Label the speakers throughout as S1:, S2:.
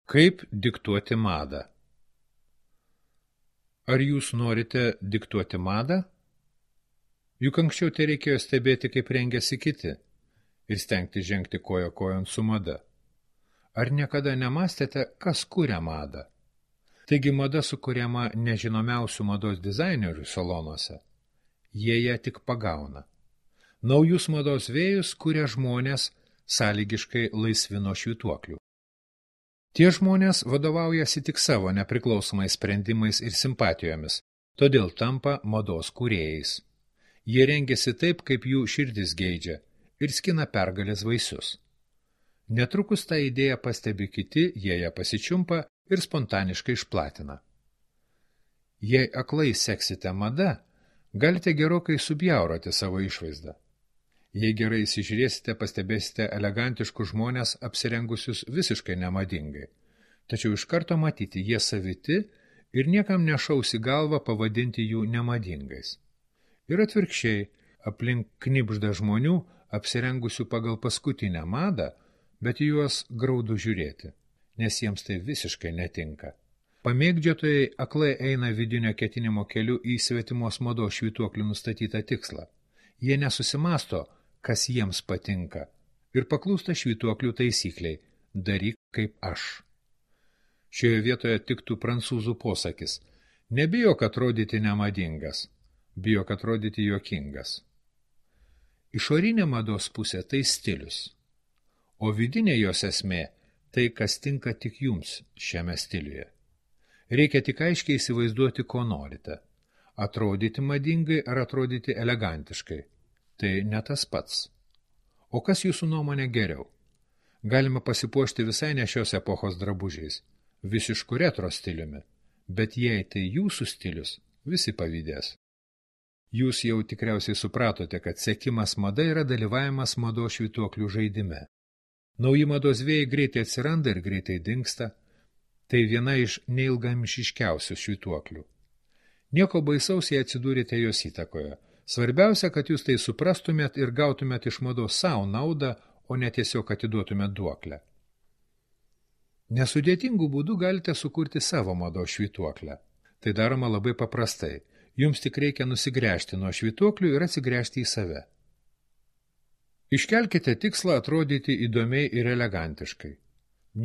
S1: Kaip diktuoti madą? Ar jūs norite diktuoti madą? Juk anksčiau tai reikėjo stebėti, kaip rengiasi kiti ir stengti žengti koja kojon su mada. Ar niekada nemastėte, kas kuria madą? Taigi mada sukuriama nežinomiausių mados dizainerių salonuose. Jie ją tik pagauna. Naujus mados vėjus kuria žmonės sąlygiškai laisvi nuo švytuoklių. Tie žmonės vadovaujasi tik savo nepriklausomais sprendimais ir simpatijomis, todėl tampa mados kūrėjais. Jie rengiasi taip, kaip jų širdis geidžia ir skina pergalės vaisius. Netrukus tą idėją pastebi kiti, jie ją pasičiumpa ir spontaniškai išplatina. Jei aklai seksite mada, galite gerokai subjauroti savo išvaizdą. Jei gerai įsižiūrėsite, pastebėsite elegantiškus žmonės apsirengusius visiškai nemadingai. Tačiau iš karto matyti, jie saviti ir niekam nešaus į galvą pavadinti jų nemadingais. Ir atvirkščiai, aplink knibžda žmonių, apsirengusių pagal paskutinę madą, bet juos graudu žiūrėti, nes jiems tai visiškai netinka. Pamėgdžiotojai aklai eina vidinio ketinimo keliu į svetimos mados švytuoklių nustatytą tikslą. Jie nesusimasto, kas jiems patinka, ir paklūsta švytuoklių taisykliai – daryk kaip aš. Šioje vietoje tiktų prancūzų posakis – nebijok atrodyti nemadingas, bijok atrodyti juokingas. Išorinė mados pusė – tai stilius, o vidinė jos esmė – tai, kas tinka tik jums šiame stiliuje. Reikia tik aiškiai įsivaizduoti, ko norite – atrodyti madingai ar atrodyti elegantiškai. Tai ne tas pats. O kas jūsų nuomonė geriau? Galima pasipuošti visai ne šios epochos drabužiais, visišku retro stiliumi, bet jei tai jūsų stilius, visi pavydės. Jūs jau tikriausiai supratote, kad sekimas mada yra dalyvavimas mados švytuoklių žaidime. Nauji mados vėjai greitai atsiranda ir greitai dingsta. Tai viena iš neilgamšiškiausių švytuoklių. Nieko baisaus, jei atsidūrėte jos įtakoje. Svarbiausia, kad jūs tai suprastumėt ir gautumėt iš mados savo naudą, o ne tiesiog atiduotumėt duoklę. Nesudėtingų būdų galite sukurti savo mados švytuoklę. Tai daroma labai paprastai. Jums tik reikia nusigręžti nuo švytuoklių ir atsigręžti į save. Iškelkite tikslą atrodyti įdomiai ir elegantiškai.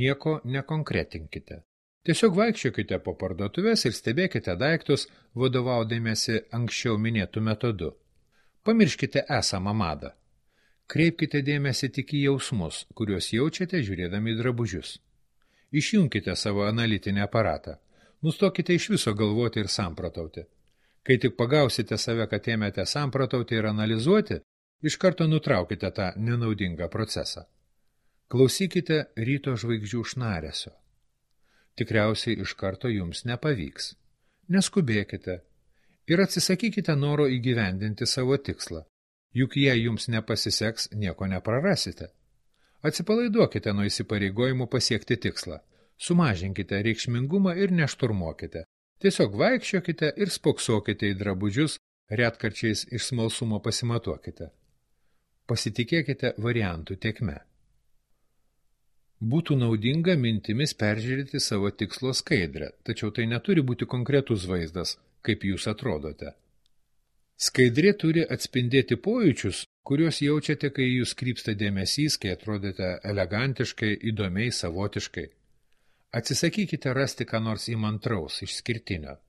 S1: Nieko nekonkretinkite. Tiesiog vaikščiokite po parduotuves ir stebėkite daiktus, vadovaudamiesi anksčiau minėtų metodu. Pamirškite esamą madą. Kreipkite dėmesį tik į jausmus, kuriuos jaučiate žiūrėdami drabužius. Išjunkite savo analitinį aparatą. Nustokite iš viso galvoti ir samprotauti. Kai tik pagausite save, kad ėmėte samprotauti ir analizuoti, iš karto nutraukite tą nenaudingą procesą. Klausykite ryto žvaigždžių šnaresio. Tikriausiai iš karto jums nepavyks. Neskubėkite ir atsisakykite noro įgyvendinti savo tikslą. Juk jei jums nepasiseks, nieko neprarasite. Atsipalaiduokite nuo įsipareigojimų pasiekti tikslą. Sumažinkite reikšmingumą ir nešturmuokite. Tiesiog vaikščiokite ir spoksokite į drabužius, retkarčiais iš smalsumo pasimatuokite. Pasitikėkite variantų tėkme. Būtų naudinga mintimis peržiūrėti savo tikslo skaidrę, tačiau tai neturi būti konkretus vaizdas, kaip jūs atrodote. Skaidrė turi atspindėti pojūčius, kuriuos jaučiate, kai jūs krypsta dėmesys, kai atrodate elegantiškai, įdomiai, savotiškai. Atsisakykite rasti ką nors įmantraus, išskirtinio.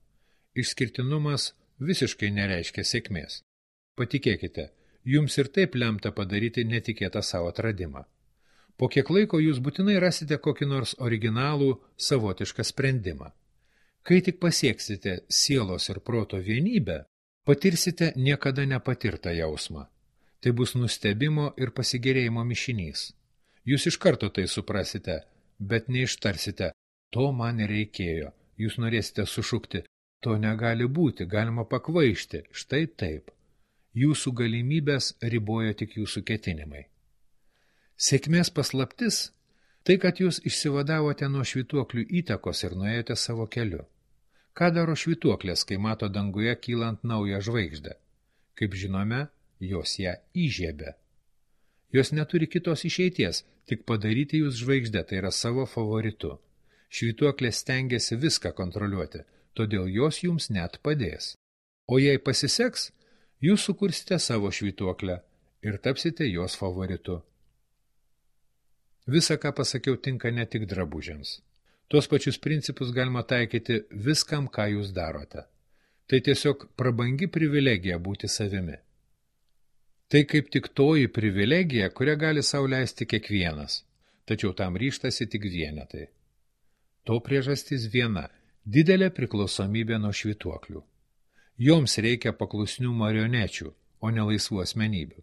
S1: Išskirtinumas visiškai nereiškia sėkmės. Patikėkite, jums ir taip lemta padaryti netikėtą savo atradimą. Po kiek laiko jūs būtinai rasite kokį nors originalų, savotišką sprendimą. Kai tik pasieksite sielos ir proto vienybę, patirsite niekada nepatirtą jausmą. Tai bus nustebimo ir pasigėrėjimo mišinys. Jūs iš karto tai suprasite, bet neištarsite, to man reikėjo. Jūs norėsite sušukti, to negali būti, galima pakvaišti, štai taip. Jūsų galimybės riboja tik jūsų ketinimai. Sėkmės paslaptis – tai, kad jūs išsivadavote nuo švytuoklių įtakos ir nuėjote savo keliu. Ką daro švytuoklės, kai mato danguje kylant naują žvaigždę? Kaip žinome, jos ją įžiebia. Jos neturi kitos išeities, tik padaryti jūs žvaigždę, tai yra savo favoritu. Švytuoklė stengiasi viską kontroliuoti, todėl jos jums net padės. O jei pasiseks, jūs sukursite savo švytuoklę ir tapsite jos favoritu. Visa, ką pasakiau, tinka ne tik drabužiams. Tuos pačius principus galima taikyti viskam, ką jūs darote. Tai tiesiog prabangi privilegija būti savimi. Tai kaip tik toji privilegija, kurią gali sau leisti kiekvienas, tačiau tam ryžtasi tik vienetai. To priežastis viena – didelė priklausomybė nuo švytuoklių. Joms reikia paklusnių marionečių, o ne laisvų asmenybių.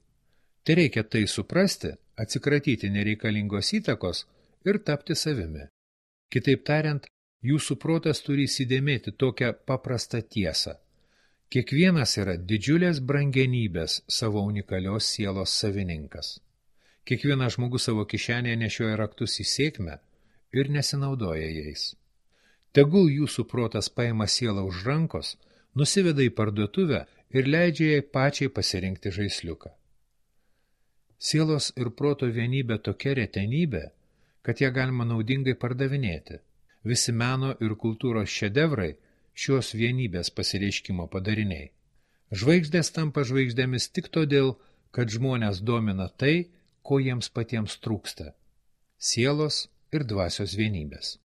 S1: Tai reikia tai suprasti, atsikratyti nereikalingos įtakos ir tapti savimi. Kitaip tariant, jūsų protas turi įsidėmėti tokią paprastą tiesą. Kiekvienas yra didžiulės brangenybės savo unikalios sielos savininkas. Kiekvienas žmogus savo kišenėje nešioja raktus į sėkmę ir nesinaudoja jais. Tegul jūsų protas paima sielą už rankos, nusiveda į parduotuvę ir leidžia jai pačiai pasirinkti žaisliuką. Sielos ir proto vienybė tokia retenybė, kad ją galima naudingai pardavinėti. Visi meno ir kultūros šedevrai šios vienybės pasireiškimo padariniai. Žvaigždės tampa žvaigždėmis tik todėl, kad žmonės domina tai, ko jiems patiems trūksta – sielos ir dvasios vienybės.